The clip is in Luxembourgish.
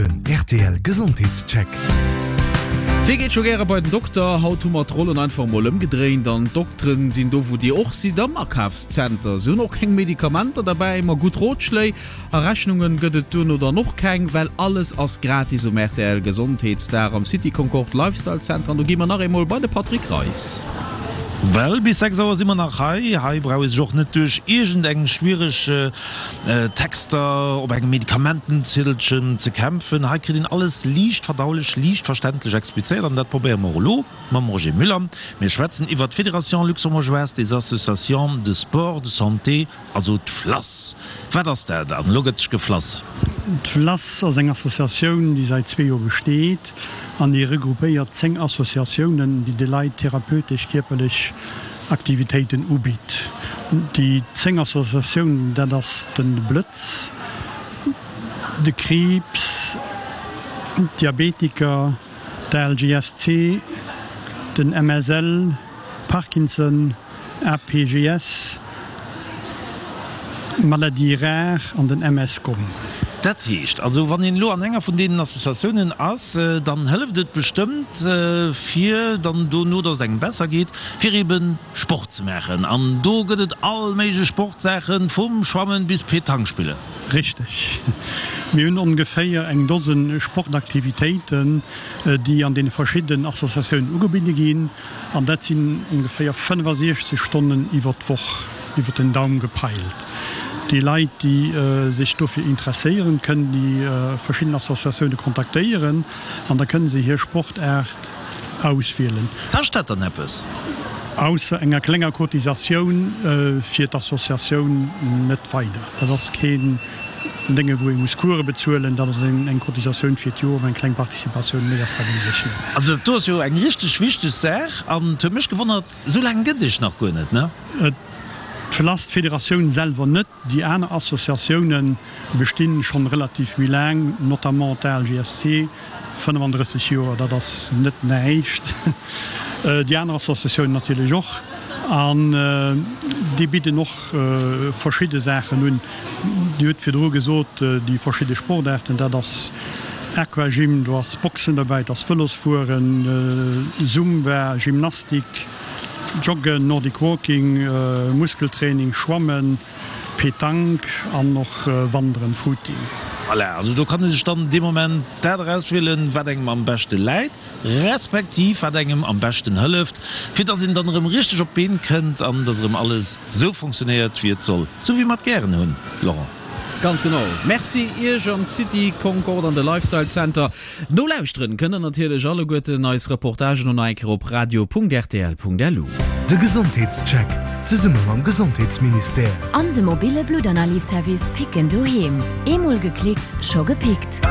Den rtl Gesondheetscheck. Wie geet scho gäre bei den Dokter? Haut hu mer d'Rollen einfach mol ëmgedréint an d'Dokteren sinn do wou dir och sidd, am Akafszenter. Se hunn och keng Medikamenter derbäi, ma gutt Rotschléi a Rechnungen gëtt et duerno dann och keng, well alles ass gratis um rtl Gesondheetsdag am City Concorde Lifestyle Center. An do gi mer nach eemol bei de Patrick Reis. Well bis 6 Auer si mer nach hei. Hei brauch ee sech och net duerch iergend eng schwiereg Texter op engem Medikamentenzieddelchen ze kämpfen. Hei kritt een alles liicht verdaulech, liicht verständlech explizéiert an dat probéiere mer och elo mam Roger Müller. Mir schwätzen iwwert d'Fédération luxembourgeoise des associations de sport de santé, also d'FLASS. Wat ass dat? An elo gëtt sech geflass. D'FLASS ass eng Associatioun, déi säit zwee Joer besteet an déi regroupéiert 10 Associatiounen, déi de Leit therapeutesch kierperlech Aktivitéiten ubitt. Déi 10 Associatiounen, dat ass de Blëtz, de Kriibs, d'Diabetiker, d'ALGSC, den MSL, Parkinson, APGS, Maladies rares an den MSCom. Dat heescht also, wann een elo an enger vun deenen Associatiounen ass, dann hëlleft et bestëmmt, fir dann dono, dass et engem besser geet, fir eben Sport ze maachen. An do gëtt et all méiglech Sportsaachen, vum Schwammen bis Petanque spillen. Richteg. Mir hunn ongeféier eng Dosen Sportaktivitéiten, déi an deene verschiddenen Associatiounen ugebidde ginn. An dat sinn ongeféier 65 Stonnen iwwer d'Woch, iwwer den Daum gepeilt. Déi Leit, déi sech dofir interesséieren, kënnen déi verschidden Associatioune kontaktéieren an da kënne se hir Sportaart auswielen. Kascht dat dann eppes? Ausser enger klenger Cotisatioun fir d'Associatioun net weider. Dat ass keen Dénge wou ee muss Coure bezuelen, dat ass eng Cotisatioun fir d'Joer, eng kleng Participatioun, méi ass dat u sech net. Also dat do ass jo eng richteg wichteg Saach an et huet mech gewonnert, esou laang gëtt Iech nach guer net, ne? Et verlasst d'Federatioun selwer net, déi aner Associatioune bestinn schonn relativ méi laang, notamment d'ALGSC, 35 Joer, dat ass net näischt, déi aner Associatiounen natierlech och an déi bidden och verschidde Saachen un. Dir hutt virdru gesot, déi verschidde Sportaarten, dat ass Aquagym, do ass Boxen derbäi, et ass Vëlosfueren, Zumba, Gymnastik, Joggen, Nordic Walking, Muskeltraining, Schwammen, Petanque an och Wanderen, Footing. Voilà, also do kann ee sech dann dee Moment dat erauswielen, wat engem am beschte läit. Respektiv wat engem am beschten hëlleft, fir dass een dann erëm richteg op d'Been kënnt an dass erëm alles sou funktionéiert wéi et soll, sou wéi mer et gären hunn, Laurent. Ganz genau. Merci Iech an d'City Concorde an de Lifestyle Center. Nolauschteren kënnt der natierlech alleguerten eis Reportagen och nach eng Kéier op radio.rtl.lu. De Gesondheetscheck zesumme mam Gesondheetsministère. An de mobile Bluttanalyse-Service Picken Doheem. Eemol geklickt, scho gepickt.